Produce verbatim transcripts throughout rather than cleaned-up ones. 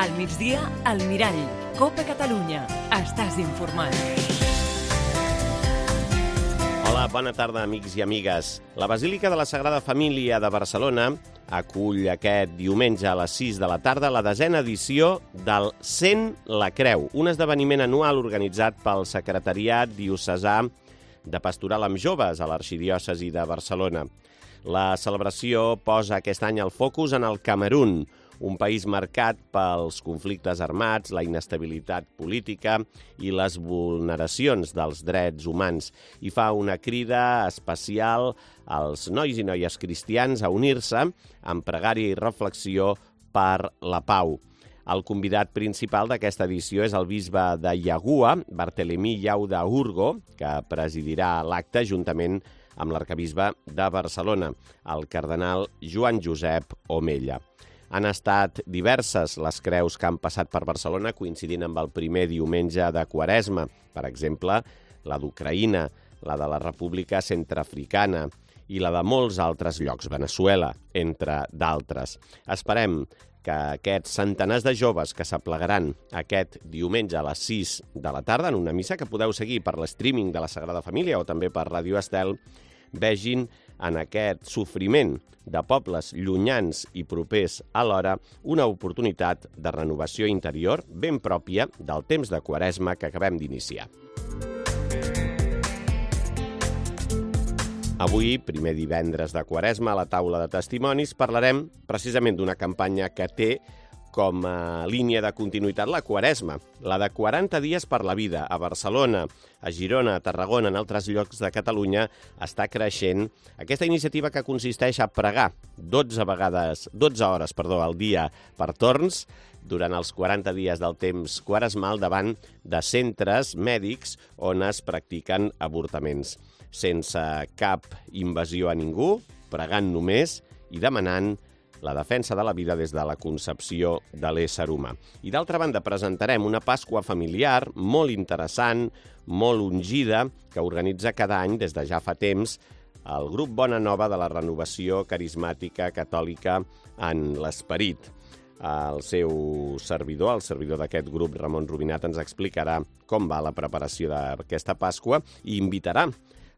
Al migdia, al Mirall. Cope Catalunya. Estàs informat. Hola, bona tarda, amics i amigues. La Basílica de la Sagrada Família de Barcelona acull aquest diumenge a les sis de la tarda la desena edició del Sent la Creu, un esdeveniment anual organitzat pel Secretariat Diocesà de Pastoral amb Joves a l'Arxidiòcesi de Barcelona. La celebració posa aquest any el focus en el Camerun, un país marcat pels conflictes armats, la inestabilitat política i les vulneracions dels drets humans, i fa una crida especial als nois i noies cristians a unir-se amb pregària i reflexió per la pau. El convidat principal d'aquesta edició és el bisbe de Iagua, Bartelemí Llauda Urgo, que presidirà l'acte juntament amb l'arcabisbe de Barcelona, el cardenal Joan Josep Omella. Han estat diverses les creus que han passat per Barcelona coincidint amb el primer diumenge de Quaresma. Per exemple, la d'Ucraïna, la de la República Centreafricana i la de molts altres llocs, Veneçuela, entre d'altres. Esperem que aquests centenars de joves que s'aplegaran aquest diumenge a les sis de la tarda en una missa que podeu seguir per l'streaming de la Sagrada Família o també per Ràdio Estel, vegin en aquest sofriment de pobles llunyans i propers alhora una oportunitat de renovació interior ben pròpia del temps de Quaresma que acabem d'iniciar. Avui, primer divendres de Quaresma, a la taula de testimonis, parlarem precisament d'una campanya que té com a línia de continuïtat la Quaresma, la de quaranta dies per la vida. A Barcelona, a Girona, a Tarragona, en altres llocs de Catalunya, està creixent aquesta iniciativa que consisteix a pregar dotze vegades, dotze hores perdó, al dia per torns durant els quaranta dies del temps quaresmal davant de centres mèdics on es practiquen avortaments. Sense cap invasió a ningú, pregant només i demanant la defensa de la vida des de la concepció de l'ésser humà. I d'altra banda, presentarem una Pasqua familiar molt interessant, molt ungida, que organitza cada any des de ja fa temps el grup Bona Nova de la Renovació Carismàtica Catòlica en l'Esperit. El seu servidor, el servidor d'aquest grup, Ramon Rubinat, ens explicarà com va la preparació d'aquesta Pasqua i invitarà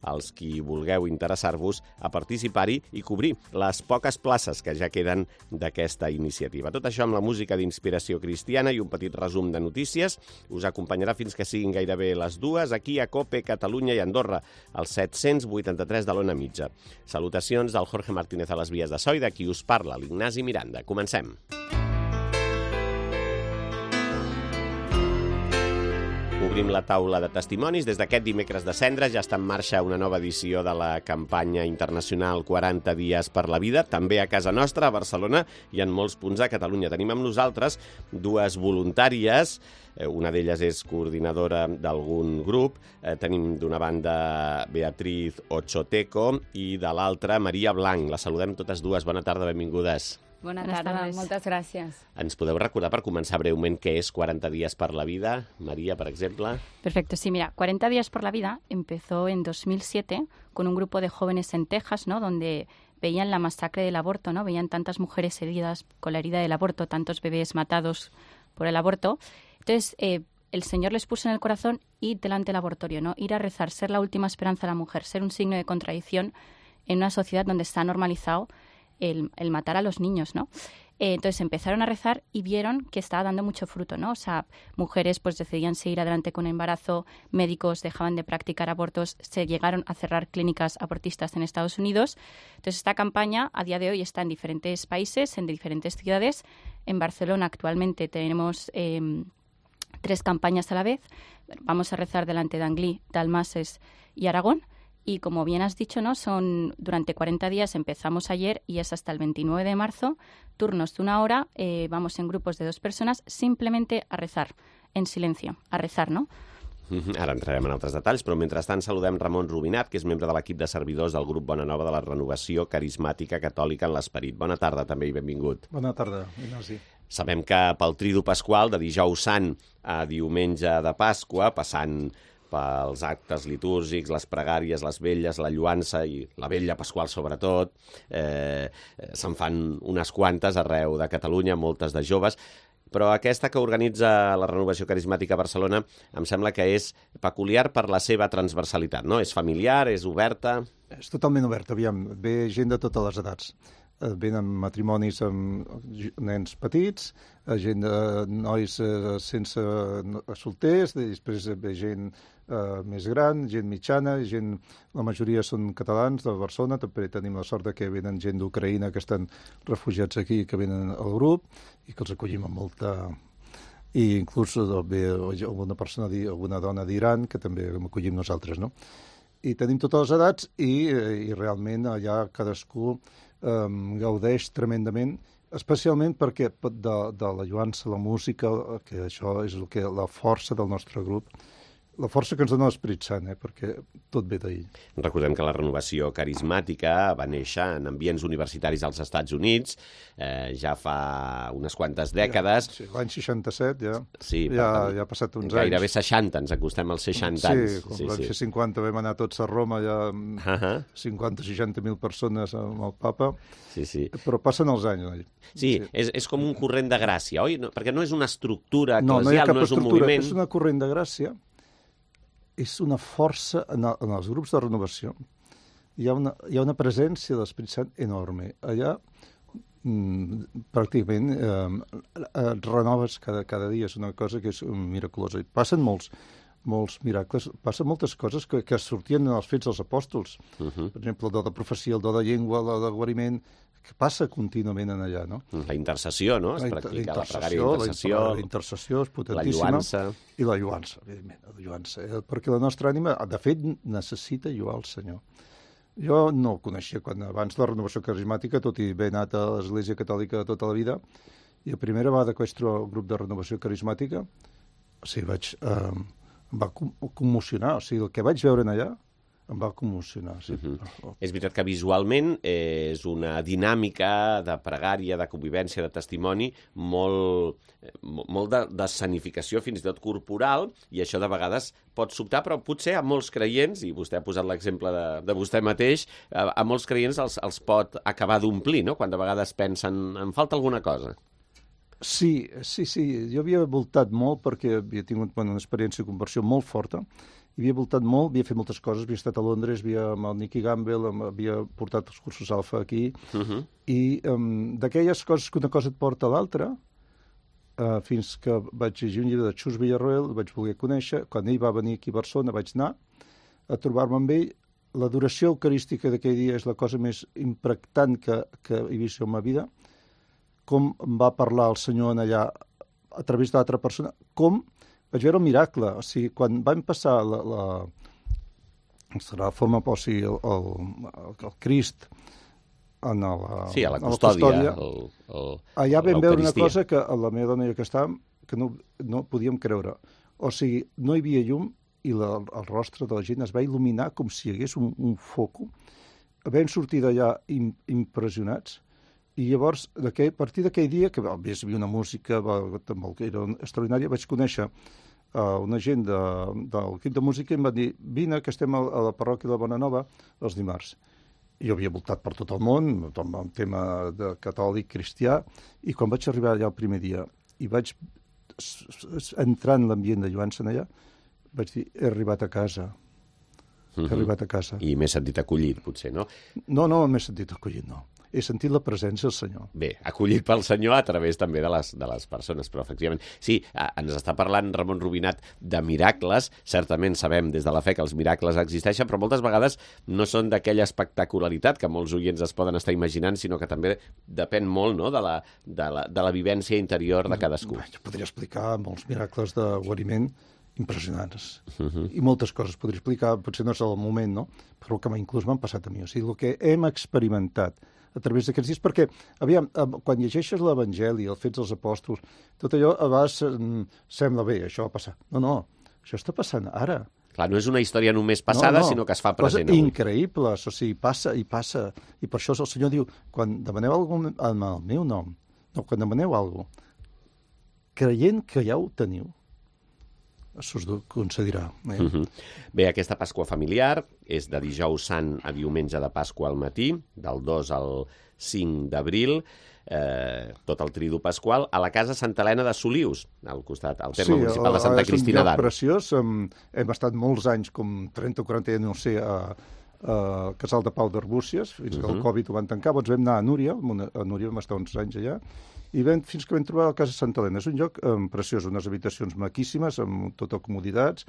els qui vulgueu interessar-vos a participar-hi i cobrir les poques places que ja queden d'aquesta iniciativa. Tot això amb la música d'inspiració cristiana i un petit resum de notícies. Us acompanyarà fins que siguin gairebé les dues aquí a Cope, Catalunya i Andorra, al set-cents vuitanta-tres de l'Ona Mitja. Salutacions del Jorge Martínez a les vies de so i de qui us parla, l'Ignasi Miranda. Comencem. Obrim la taula de testimonis. Des d'aquest dimecres de Cendra ja està en marxa una nova edició de la campanya internacional quaranta dies per la vida, també a casa nostra, a Barcelona, i en molts punts de Catalunya. Tenim amb nosaltres dues voluntàries, una d'elles és coordinadora d'algun grup, tenim d'una banda Beatriz Ochoteco i de l'altra Maria Blanc. Les saludem totes dues. Bona tarda, benvingudes. Bona tarda, moltes gràcies. Ens podeu recordar, per començar breument, què és quaranta días por la vida? María, por ejemplo. Perfecto, sí, mira, cuarenta días por la vida empezó en dos mil siete con un grupo de jóvenes en Texas, ¿no?, donde veían la masacre del aborto, ¿no? Veían tantas mujeres heridas con la herida del aborto, tantos bebés matados por el aborto. Entonces, eh, el Señor les puso en el corazón ir delante del abortorio, ¿no? Ir a rezar, ser la última esperanza de la mujer, ser un signo de contradicción en una sociedad donde está normalizado El, el matar a los niños, ¿no? Eh, entonces empezaron a rezar y vieron que estaba dando mucho fruto, ¿no? O sea, mujeres pues decidían seguir adelante con el embarazo, médicos dejaban de practicar abortos, se llegaron a cerrar clínicas abortistas en Estados Unidos. Entonces esta campaña a día de hoy está en diferentes países, en diferentes ciudades. En Barcelona actualmente tenemos eh, tres campañas a la vez. Vamos a rezar delante de Anglí, Dalmases y Aragón. Y como bien has dicho, ¿no?, son durante cuarenta días, empezamos ayer y es hasta el veintinueve de marzo, turnos de una hora, eh, vamos en grupos de dos persones simplemente a rezar, en silencio, a rezar, ¿no? Ara entrarem en altres detalls, però mentrestant saludem Ramon Rubinat, que és membre de l'equip de servidors del grup Bona Nova de la Renovació Carismàtica Catòlica en l'Esperit. Bona tarda també i benvingut. Bona tarda, Ignasi. Sabem que pel Tridu Pasqual, de dijous sant a diumenge de Pasqua, passant pels actes litúrgics, les pregàries, les vetlles, la lluança i la vetlla pasqual sobretot. Eh, se'n fan unes quantes arreu de Catalunya, moltes de joves. però aquesta que organitza la Renovació Carismàtica a Barcelona em sembla que és peculiar per la seva transversalitat, no? És familiar, és oberta... És totalment oberta, aviam, ve gent de totes les edats. Venen matrimonis amb nens petits, gent de nois sense solters, després ve gent eh, més gran, gent mitjana, gent, la majoria són catalans de Barcelona, també tenim la sort que venen gent d'Ucraïna que estan refugiats aquí, que venen al grup i que els acollim amb molta... I inclús ve alguna persona, alguna dona d'Iran que també acollim nosaltres, no? I tenim totes les edats i, i realment allà cadascú Um, gaudeix tremendament, especialment perquè de, de la lluança, la música, que això és el que, la força del nostre grup, la força que ens dona l'Esperit Sant, eh, perquè tot ve d'ahir. Recordem que la Renovació Carismàtica va néixer en ambients universitaris als Estats Units, eh, ja fa unes quantes dècades. Ja, sí, l'any seixanta-set ja, sí, ja, ja ha passat uns gairebé anys. Gairebé seixanta, ens acostem als seixanta sí, anys. Sí, vam fer cinquanta, vam anar tots a Roma, ja uh -huh. cinquanta seixanta mil persones amb el papa, sí, sí. Però passen els anys. Oi? Sí, sí. És, és com un corrent de gràcia, oi? No, perquè no és una estructura eclesial, no, no, hi ha cap no és un estructura, moviment. És una corrent de gràcia, és una força en, el, en els grups de renovació. Hi ha una, hi ha una presència de l'Esperit Sant enorme. Allà mm, pràcticament eh, et renoves cada, cada dia. És una cosa que és miraculosa. I passen molts, molts miracles, passen moltes coses que, que sortien en els fets dels apòstols. Uh -huh. Per exemple, el do de profecia, el do de llengua, el do de guariment, que passa contínuament en allà, no? La intercessió, no? Es la practica la, la pregària d'intercessió. La intercessió és potentíssima. La lluança. I la lluança, evidentment, la lluança. Eh? Perquè la nostra ànima, de fet, necessita lluar el Senyor. Jo no el coneixia quan abans de la Renovació Carismàtica, tot i haver anat a l'Església Catòlica tota la vida, i la primera vegada que vaig trobar el grup de Renovació Carismàtica, o sigui, vaig, eh, em va commocionar. O sigui, el que vaig veure en allà em va commocionar. Sí. Uh -huh. És veritat que visualment és una dinàmica de pregària, de convivència, de testimoni molt, molt de, de escenificació, fins i tot corporal, i això de vegades pot sobtar, però potser a molts creients, i vostè ha posat l'exemple de, de vostè mateix, a, a molts creients els, els pot acabar d'omplir, no?, quan de vegades pensen en falta alguna cosa. Sí, sí, sí. Jo havia voltat molt perquè havia tingut bueno, una experiència de conversió molt forta. Havia voltat molt, havia fet moltes coses, havia estat a Londres, havia amb el Nicky Gamble, havia portat els cursos alfa aquí, uh -huh. i um, d'aquelles coses que una cosa et porta a l'altra, uh, fins que vaig llegir un llibre de Xus Villarroel, el vaig voler conèixer, quan ell va venir aquí a Barcelona vaig anar a trobar-me amb ell. L'adoració eucarística d'aquell dia és la cosa més impactant que, que he vist en ma vida, com em va parlar el Senyor en allà a través d'altra persona, com vaig veure el miracle. O sigui, quan van passar la, la, la forma, o sigui, el, el, el Crist en la, sí, a la custòdia, custòdia el, el, allà vam veure una cosa que la meva dona i jo que estàvem que no, no podíem creure. O sigui, no hi havia llum i la, el rostre de la gent es va il·luminar com si hi hagués un, un foco. Vam sortir d'allà im, impressionats. I llavors, a partir d'aquell dia, que a més hi havia una música que era extraordinària, vaig conèixer uh, una gent de, del equip de música i em van dir, vine, que estem a, a la parròquia de Bonanova els dimarts. I jo havia voltat per tot el món, amb el tema de catòlic, cristià, i quan vaig arribar allà el primer dia i vaig entrar en l'ambient de lluança allà, vaig dir, he arribat a casa. He uh-huh. arribat a casa. I m'he sentit acollit, potser, no? No, no m'he sentit acollit, no. He sentit la presència del Senyor. Bé, acollit pel Senyor a través també de les, de les persones, però efectivament... Sí, ens està parlant Ramon Rubinat de miracles. Certament sabem des de la fe que els miracles existeixen, però moltes vegades no són d'aquella espectacularitat que molts oients es poden estar imaginant, sinó que també depèn molt, no?, de la, de la, de la vivència interior de cadascú. Jo podria explicar molts miracles de guariment impressionants. Uh-huh. I moltes coses podria explicar, potser no és el moment, no? Però que inclús m'han passat a mi. O sigui, el que hem experimentat a través d'aquests dies, perquè, aviam, quan llegeixes l'Evangeli, els fets dels apòstols, tot allò a vegades sembla bé, això va passar. No, no, això està passant ara. Clar, no és una història només passada, no, no. sinó que es fa present. Coses increïbles, o sigui, passa i passa. I per això el Senyor diu, quan demaneu alguna cosa en el meu nom, no, quan demaneu alguna cosa, creient que ja ho teniu, això us concedirà. Eh? Uh -huh. Bé, aquesta Pasqua familiar és de dijous sant a diumenge de Pasqua al matí, del dos al cinc d'abril. eh, tot el tridu pasqual, a la casa Santa Helena de Solius, al costat, al terme sí, municipal de Santa Cristina d'Aro. Sí, és un lloc preciós. Hem, hem estat molts anys, com trenta o quaranta anys, no sé, a, a Casal de Pau d'Arbúcies, fins que uh -huh. el Covid ho van tancar. Doncs vam anar a Núria, a Núria vam estar uns anys allà, i vam, fins que vam trobar la casa Santa Helena. És un lloc um, preciós, unes habitacions maquíssimes, amb totes comoditats,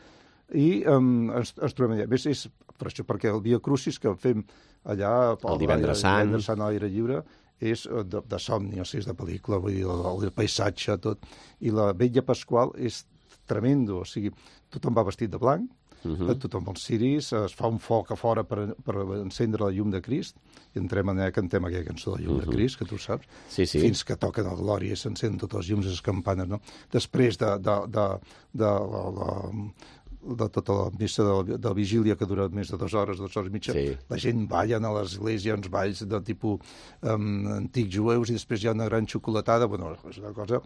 i um, ens, ens trobem allà. A més, és per això, perquè el Via Crucis que fem allà... El divendres sant. El divendres sant a l'aire lliure és de, de somni, o sigui, és de pel·lícula, vull dir, el, el paisatge, tot. I la vetlla pasqual és tremendo, o sigui, tothom va vestit de blanc, Uh-huh. tothom els ciris, es fa un foc a fora per, per encendre la llum de Crist, i entrem en allà, cantem aquella cançó de llum uh-huh. de Crist, que tu saps, sí, sí. fins que toquen el Glòria i s'encenen totes les llums i les campanes, no? Després de, de, de, de, de, de, de tota la missa de, de vigília, que dura més de dues hores, dues hores i mitja, sí. la gent ballen a l'església, uns balls de tipus um, antics jueus, i després hi ha una gran xocolatada, bueno, és una cosa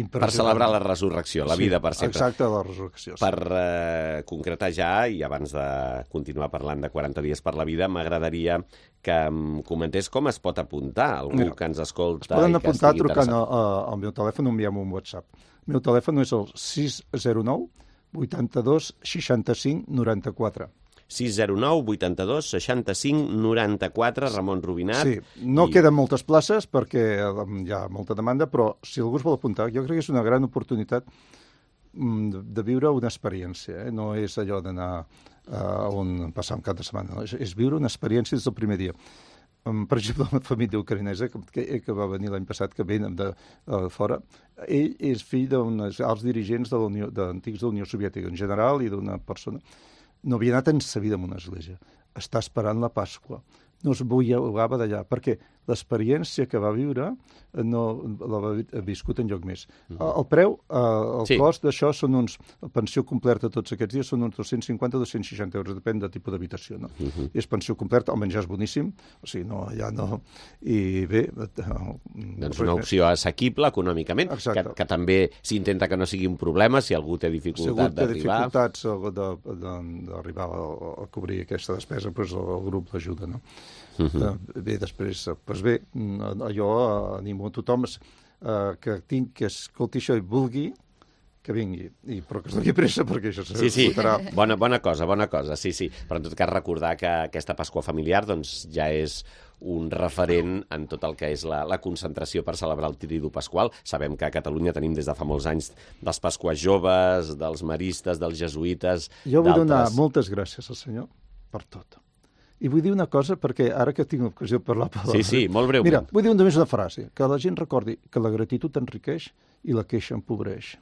per celebrar la resurrecció, la vida sí, per sempre. Exacte, la resurrecció. Sí. Per eh, concretar ja, i abans de continuar parlant de quaranta dies per la vida, m'agradaria que em comentés com es pot apuntar algú Mira, que ens escolta. Es poden apuntar trucant a, a, al meu telèfon o enviant un WhatsApp. El meu telèfon és el sis zero nou vuitanta-dos seixanta-cinc noranta-quatre. sis zero nou vuitanta-dos seixanta-cinc noranta-quatre, Ramon Rubinat. Sí, no i... queden moltes places perquè hi ha molta demanda, però si algú es vol apuntar, jo crec que és una gran oportunitat de viure una experiència. Eh? No és allò d'anar a on passar un cap de setmana, no? és, és viure una experiència des del primer dia. Per exemple, la família ucraïnesa, que, que va venir l'any passat, que venen de, de fora, ell és fill d'uns alts dirigents de l'Unió, d'antics de la Unió Soviètica en general i d'una persona. No havia anat en sa vida en una església. Està esperant la Pasqua. No es bullava d'allà, perquè l'experiència que va viure no l'ha viscut en lloc més. Uh -huh. El preu, el sí. cost d'això són uns... La pensió completa tots aquests dies són uns dos-cents cinquanta a dos-cents seixanta euros, depèn del tipus d'habitació. No? Uh -huh. És pensió completa, el menjar és boníssim, o sigui, no, ja no... I bé... Doncs una opció assequible econòmicament, que, que també s'intenta que no sigui un problema si algú té dificultat d'arribar. Si algú té dificultats d'arribar a cobrir aquesta despesa, doncs el grup l'ajuda, no? Uh -huh. Bé, després, doncs bé, jo animo a tothom uh, que, tinc, que escolti això i vulgui que vingui, I, però que es doni pressa perquè això sí, sí. Bona, bona cosa, bona cosa, sí, sí. Però en tot cas recordar que aquesta Pasqua familiar doncs, ja és un referent en tot el que és la, la concentració per celebrar el Tridu Pasqual. Sabem que a Catalunya tenim des de fa molts anys dels Pasques joves, dels maristes, dels jesuïtes... Jo vull donar moltes gràcies al Senyor per tot. I vull dir una cosa, perquè ara que tinc l'ocasió de parlar... Sí, sí, molt breument. Mira, vull dir només una frase, que la gent recordi que la gratitud enriqueix i la queixa empobreix.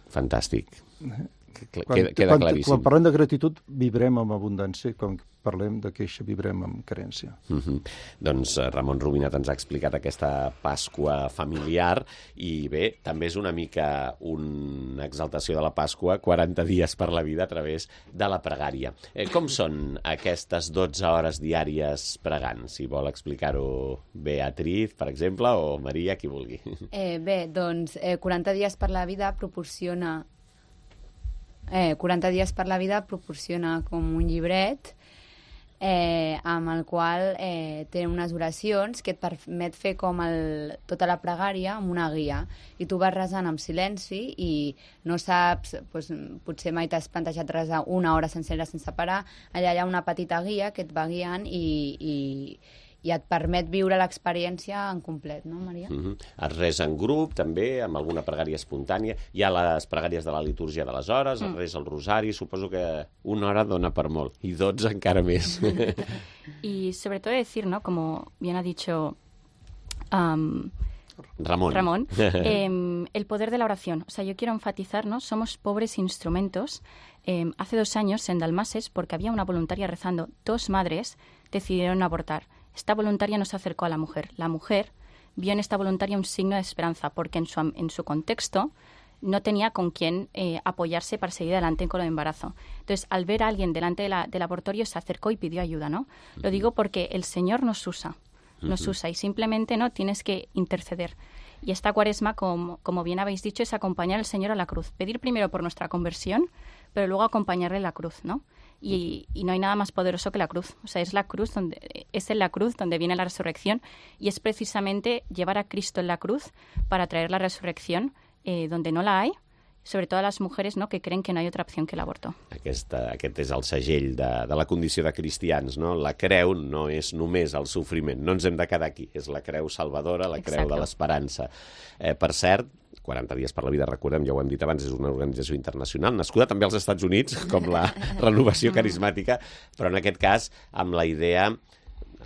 Fantàstic. Quan, queda, queda quan, claríssim. Quan parlem de gratitud, vibrem amb abundància, quan parlem de queixa, vibrem amb carència. Mm-hmm. Doncs Ramon Rubinat ens ha explicat aquesta Pasqua familiar i bé, també és una mica una exaltació de la Pasqua, quaranta dies per la vida a través de la pregària. Eh, com són aquestes dotze hores diàries pregant? Si vol explicar-ho Beatriz, per exemple, o Maria, qui vulgui. Eh, bé, doncs eh, quaranta dies per la vida proporciona Eh, quaranta dies per la vida proporciona com un llibret eh, amb el qual eh, té unes oracions que et permet fer com el, tota la pregària amb una guia i tu vas resant en silenci i no saps, doncs, potser mai t'has plantejat resar una hora sencera sense parar, allà hi ha una petita guia que et va guiant i, i i et permet viure l'experiència en complet, no, Maria? Mm-hmm. Es resa en grup, també, amb alguna pregària espontània. Hi ha les pregàries de la litúrgia de les hores, mm. es resa el rosari, suposo que una hora dona per molt, i dotze encara més. Y sobre todo decir, ¿no?, como bien ha dicho um, Ramón, Ramón eh, el poder de la oración. O sea, yo quiero enfatizar, ¿no?, somos pobres instrumentos. Eh, hace dos años en Dalmases, porque había una voluntaria rezando, dos madres decidieron abortar. Esta voluntaria no se acercó a la mujer. La mujer vio en esta voluntaria un signo de esperanza, porque en su, en su contexto no tenía con quién eh, apoyarse para seguir adelante con el embarazo. Entonces, al ver a alguien delante de la, del abortorio, se acercó y pidió ayuda, ¿no? Uh-huh. Lo digo porque el Señor nos usa, nos uh-huh. usa, y simplemente no tienes que interceder. Y esta cuaresma, como, como bien habéis dicho, es acompañar al Señor a la cruz. Pedir primero por nuestra conversión, pero luego acompañarle a la cruz, ¿no? Y, y no hay nada más poderoso que la cruz. O sea, es la cruz donde, es en la cruz donde viene la resurrección, y es precisamente llevar a Cristo en la cruz para traer la resurrección eh, donde no la hay, sobre todo a les mujeres, no?, que creen que no hi ha otra opció que l'avorto. Aquesta, aquest és el segell de, de la condició de cristians, no? La creu no és només el sofriment, no ens hem de quedar aquí, és la creu salvadora, la creu Exacte. de l'esperança. Eh, per cert, quaranta dies per la vida, recordem, ja ho hem dit abans, és una organització internacional, nascuda també als Estats Units, com la renovació carismàtica, però en aquest cas amb la idea,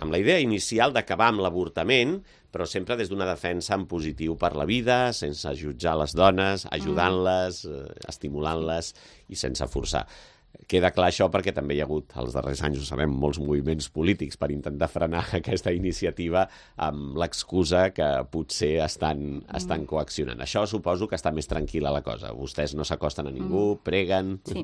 amb la idea inicial d'acabar amb l'avortament, però sempre des d'una defensa en positiu per la vida, sense jutjar les dones, ajudant-les, eh, estimulant-les i sense forçar. Queda clar això perquè també hi ha hagut, als darrers anys, ho sabem, molts moviments polítics per intentar frenar aquesta iniciativa amb l'excusa que potser estan, estan coaccionant. Això suposo que està més tranquil·la la cosa. Vostès no s'acosten a ningú, preguen... Sí.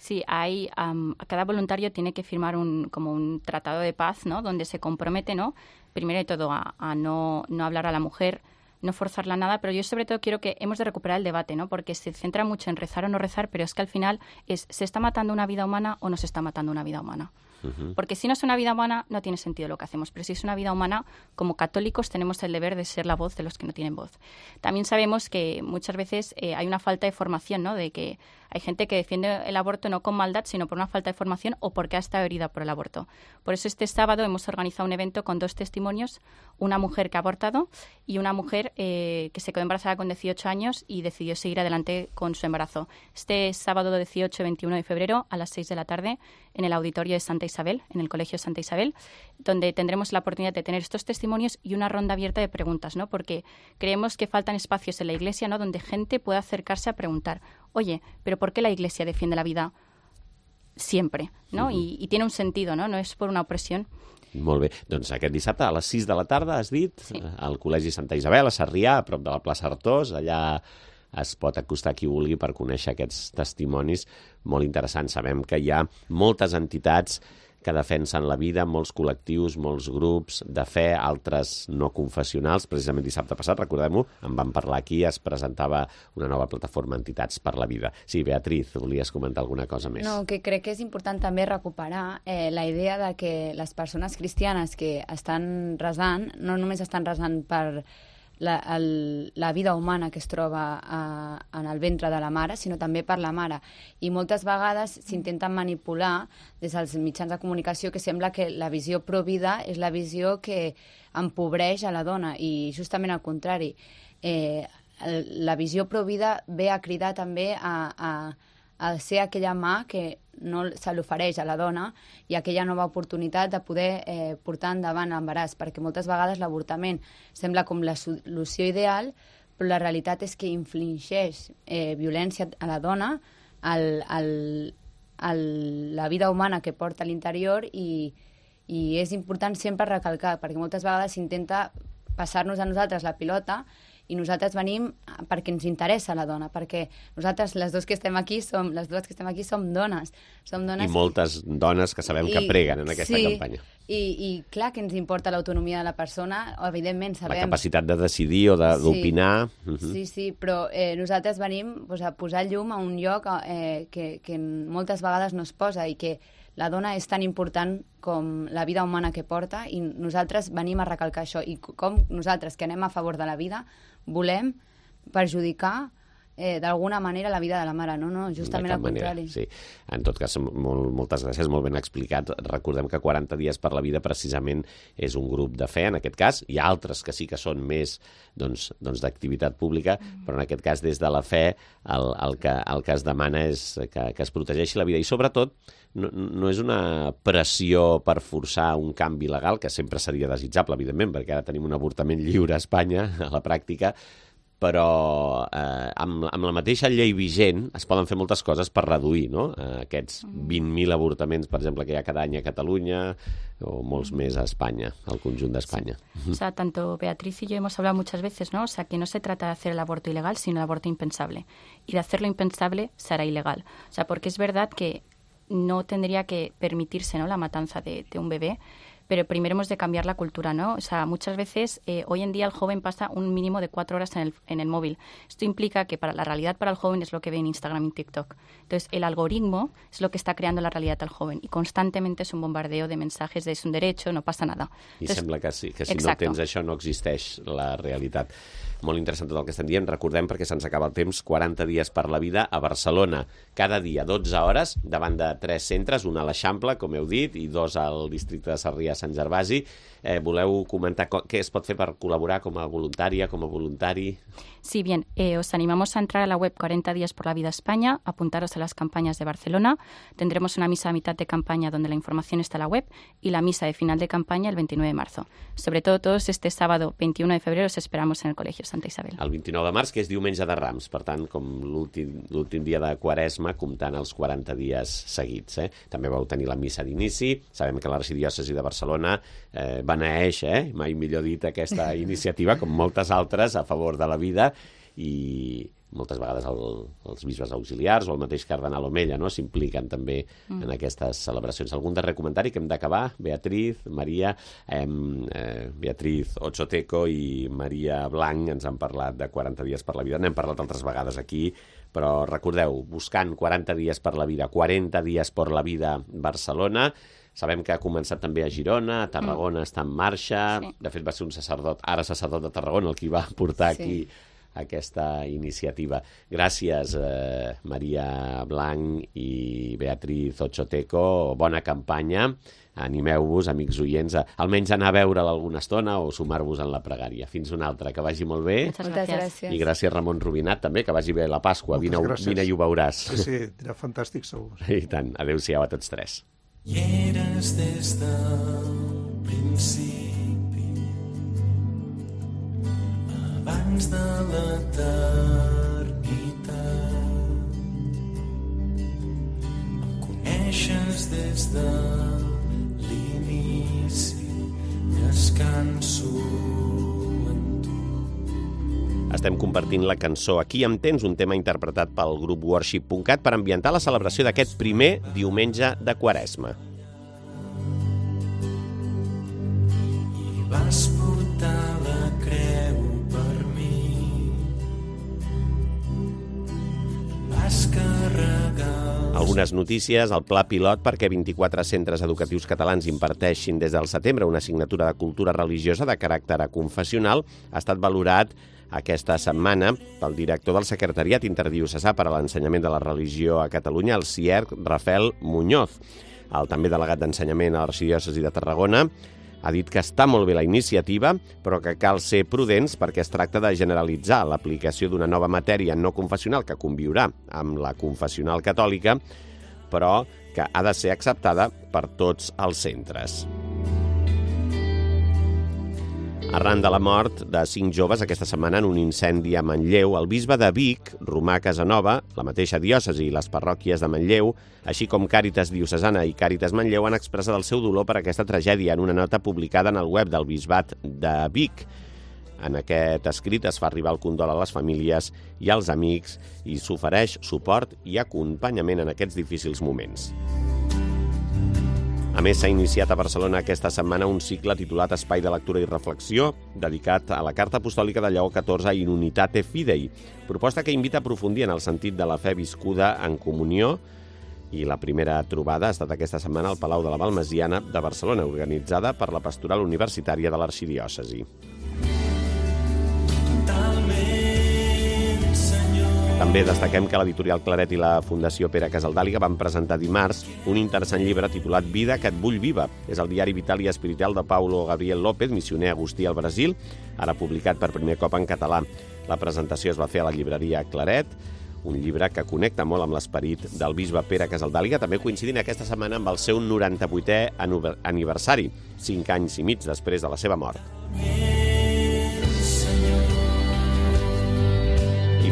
Sí, hay, um, cada voluntario tiene que firmar un, como un tratado de paz, ¿no?, donde se compromete, ¿no?, primero de todo a, a no, no hablar a la mujer, no forzarla nada, pero yo sobre todo quiero que hemos de recuperar el debate, ¿no?, porque se centra mucho en rezar o no rezar, pero es que al final es, ¿se está matando una vida humana o no se está matando una vida humana? Uh-huh. Porque si no es una vida humana, no tiene sentido lo que hacemos, pero si es una vida humana, como católicos tenemos el deber de ser la voz de los que no tienen voz. También sabemos que muchas veces eh, hay una falta de formación, ¿no?, de que hay gente que defiende el aborto no con maldad, sino por una falta de formación o porque ha estado herida por el aborto. Por eso este sábado hemos organizado un evento con dos testimonios, una mujer que ha abortado y una mujer eh, que se quedó embarazada con dieciocho años y decidió seguir adelante con su embarazo. Este sábado dieciocho y veintiuno de febrero a las seis de la tarde en el auditorio de Santa Isabel, en el Colegio Santa Isabel, donde tendremos la oportunidad de tener estos testimonios y una ronda abierta de preguntas, ¿no?, porque creemos que faltan espacios en la Iglesia, ¿no?, donde gente pueda acercarse a preguntar, oye, pero ¿por qué la Iglesia defiende la vida siempre, ¿no? Uh-huh. I, i tiene un sentido, ¿no? No és per una opressió. Molt bé. Doncs aquest dissabte a les sis de la tarda, has dit, sí, al Col·legi Santa Isabel, a Sarrià, a prop de la plaça Artós, allà es pot acostar qui vulgui per conèixer aquests testimonis molt interessants. Sabem que hi ha moltes entitats que defensen la vida, molts col·lectius, molts grups de fe, altres no confessionals. Precisament dissabte passat, recordem-ho, en vam parlar aquí, es presentava una nova plataforma Entitats per la Vida. Sí, Beatriz, volies comentar alguna cosa més? No, que crec que és important també recuperar eh, la idea de que les persones cristianes que estan resant, no només estan resant per la, el, la vida humana que es troba a, en el ventre de la mare, sinó també per la mare. I moltes vegades s'intenten manipular des dels mitjans de comunicació que sembla que la visió pro-vida és la visió que empobreix a la dona, i justament al contrari. Eh, la visió pro-vida ve a cridar també a, a, a ser aquella mà que no se l'ofereix a la dona i aquella nova oportunitat de poder eh, portar endavant l'embaràs, perquè moltes vegades l'avortament sembla com la solució ideal, però la realitat és que infligeix eh, violència a la dona, al, al, al, la vida humana que porta a l'interior, i, i és important sempre recalcar, perquè moltes vegades s'intenta passar-nos a nosaltres la pilota i nosaltres venim perquè ens interessa la dona, perquè nosaltres, les dues que estem aquí, som, les dues que estem aquí som dones. Som dones I moltes dones que sabem que I, preguen en aquesta sí, campanya. I, I clar que ens importa l'autonomia de la persona, evidentment sabem... La capacitat de decidir o d'opinar... Sí, uh-huh. sí, sí, però eh, nosaltres venim pues, a posar llum a un lloc eh, que, que moltes vegades no es posa, i que la dona és tan important com la vida humana que porta, i nosaltres venim a recalcar això. I com nosaltres, que anem a favor de la vida, volem perjudicar eh, d'alguna manera la vida de la mare, no? No, justament al contrari. Sí. En tot cas, molt, moltes gràcies, molt ben explicat. Recordem que quaranta dies per la vida precisament és un grup de fe, en aquest cas. Hi ha altres que sí que són més doncs, doncs d'activitat pública, mm. però en aquest cas, des de la fe, el, el, que, el que es demana és que, que es protegeixi la vida. I sobretot, no, no és una pressió per forçar un canvi legal, que sempre seria desitjable, evidentment, perquè ara tenim un avortament lliure a Espanya, a la pràctica, però eh, amb, amb la mateixa llei vigent es poden fer moltes coses per reduir, no? eh, aquests vint mil avortaments, per exemple, que hi ha cada any a Catalunya, o molts més a Espanya, al conjunt d'Espanya. Sí. O sea, tanto Beatriz y yo hemos hablado muchas veces, ¿no? O sea, que no se trata de hacer el aborto ilegal, sino el aborto impensable. Y de hacerlo impensable será ilegal. O sea, porque es verdad que no tendría que permitirse, ¿no?, la matanza de, de un bebé, pero primero hemos de cambiar la cultura, ¿no? O sea, muchas veces, eh, hoy en día el joven pasa un mínimo de cuatro horas en el, en el móvil. Esto implica que para la realidad para el joven es lo que ve en Instagram y TikTok. Entonces, el algoritmo es lo que está creando la realidad al joven y constantemente es un bombardeo de mensajes de es un derecho, no passa nada. I Entonces, sembla que, sí, que si exacto. no tens això no existeix la realitat. Molt interessant tot el que estem dient. Recordem, perquè se'ns acaba el temps, quaranta dies per la vida a Barcelona. Cada dia, dotze hores, davant de tres centres, un a l'Eixample, com heu dit, i dos al districte de Sarrià-Sant Gervasi. Eh, voleu comentar què es pot fer per col·laborar com a voluntària, com a voluntari? Sí, bien, eh, os animamos a entrar a la web cuarenta días por la vida España, apuntaros a las campañas de Barcelona. Tendremos una misa a mitad de campaña donde la información está en la web y la misa de final de campaña el veintinueve de marzo. Sobre todo todos este sábado veintiuno de febrero os esperamos en el Colegio Santa Isabel. El vint-i-nou de març, que és diumenge de Rams, per tant, com l'últim dia de Quaresma, comptant els quaranta dies seguits. Eh? També vau tenir la missa d'inici. Sabem que l'arxidiòcesi de Barcelona eh, beneeix, eh? mai millor dit, aquesta iniciativa, com moltes altres, a favor de la vida, i moltes vegades el, els bisbes auxiliars o el mateix cardenal Omella, no?, s'impliquen també mm. en aquestes celebracions. Algun darrer comentari que hem d'acabar? Beatriz, Maria, eh, eh, Beatriz Ochoteco i Maria Blanc ens han parlat de quaranta dies per la vida. N'hem parlat altres vegades aquí, però recordeu, buscant quaranta dies per la vida, quaranta dies per la vida Barcelona. Sabem que ha començat també a Girona, a Tarragona mm. està en marxa. Sí. De fet, va ser un sacerdot, ara sacerdot de Tarragona, el qui va portar sí. aquí aquesta iniciativa. Gràcies, eh, Maria Blanc i Beatriz Ochoteco. Bona campanya. Animeu-vos, amics oients, a almenys anar a veure'l alguna estona o sumar-vos en la pregària. Fins una altra. Que vagi molt bé. Moltes gràcies. I gràcies, Ramon Rubinat, també. Que vagi bé la Pasqua. Vine, vine i ho veuràs. Sí, sí, dirà fantàstic, segur. I tant. Adéu-siau a tots tres. I eres des del principi, abans de l'eternitat. Em coneixes des de l'inici, descanso en tu. Estem compartint la cançó Aquí em tens, un tema interpretat pel grup worship punt cat per ambientar la celebració d'aquest primer diumenge de Quaresma. I vas portar la creu per mi, vas carregar... Algunes notícies, el pla pilot perquè vint-i-quatre centres educatius catalans imparteixin des del setembre una assignatura de cultura religiosa de caràcter confessional ha estat valorat aquesta setmana pel director del Secretariat Interdiocesà per a l'Ensenyament de la Religió a Catalunya, el CIERC, Rafael Muñoz. El també delegat d'Ensenyament a l'Arxidiòcesi de Tarragona ha dit que està molt bé la iniciativa, però que cal ser prudents perquè es tracta de generalitzar l'aplicació d'una nova matèria no confessional que conviurà amb la confessional catòlica, però que ha de ser acceptada per tots els centres. Arran de la mort de cinc joves aquesta setmana en un incendi a Manlleu, el bisbe de Vic, Romà Casanova, la mateixa diòcesi i les parròquies de Manlleu, així com Càritas Diocesana i Càritas Manlleu han expressat el seu dolor per aquesta tragèdia en una nota publicada en el web del bisbat de Vic. En aquest escrit es fa arribar el condol a les famílies i als amics i s'ofereix suport i acompanyament en aquests difícils moments. A més, s'ha iniciat a Barcelona aquesta setmana un cicle titulat Espai de Lectura i Reflexió, dedicat a la Carta Apostòlica de Lleó catorze in Unitate Fidei, proposta que invita a aprofundir en el sentit de la fe viscuda en comunió, i la primera trobada ha estat aquesta setmana al Palau de la Balmesiana de Barcelona, organitzada per la Pastoral Universitària de l'Arxidiòcesi. També destaquem que l'editorial Claret i la Fundació Pere Casaldàliga van presentar dimarts un interessant llibre titulat Vida que et vull viva. És el diari vital i espiritual de Paulo Gabriel López, missioner agustí al Brasil, ara publicat per primer cop en català. La presentació es va fer a la llibreria Claret, un llibre que connecta molt amb l'esperit del bisbe Pere Casaldàliga, també coincidint aquesta setmana amb el seu noranta-vuitè aniversari, cinc anys i mig després de la seva mort.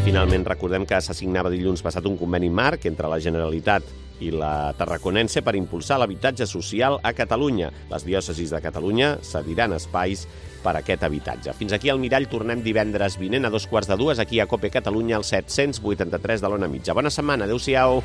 Finalment, recordem que s'assignava dilluns passat un conveni marc entre la Generalitat i la Tarraconense per impulsar l'habitatge social a Catalunya. Les diòcesis de Catalunya cediran espais per a aquest habitatge. Fins aquí al Mirall, tornem divendres vinent a dos quarts de dues aquí a Cope Catalunya, al set cents vuitanta-tres de l'Ona Mitja. Bona setmana, adéu-siau!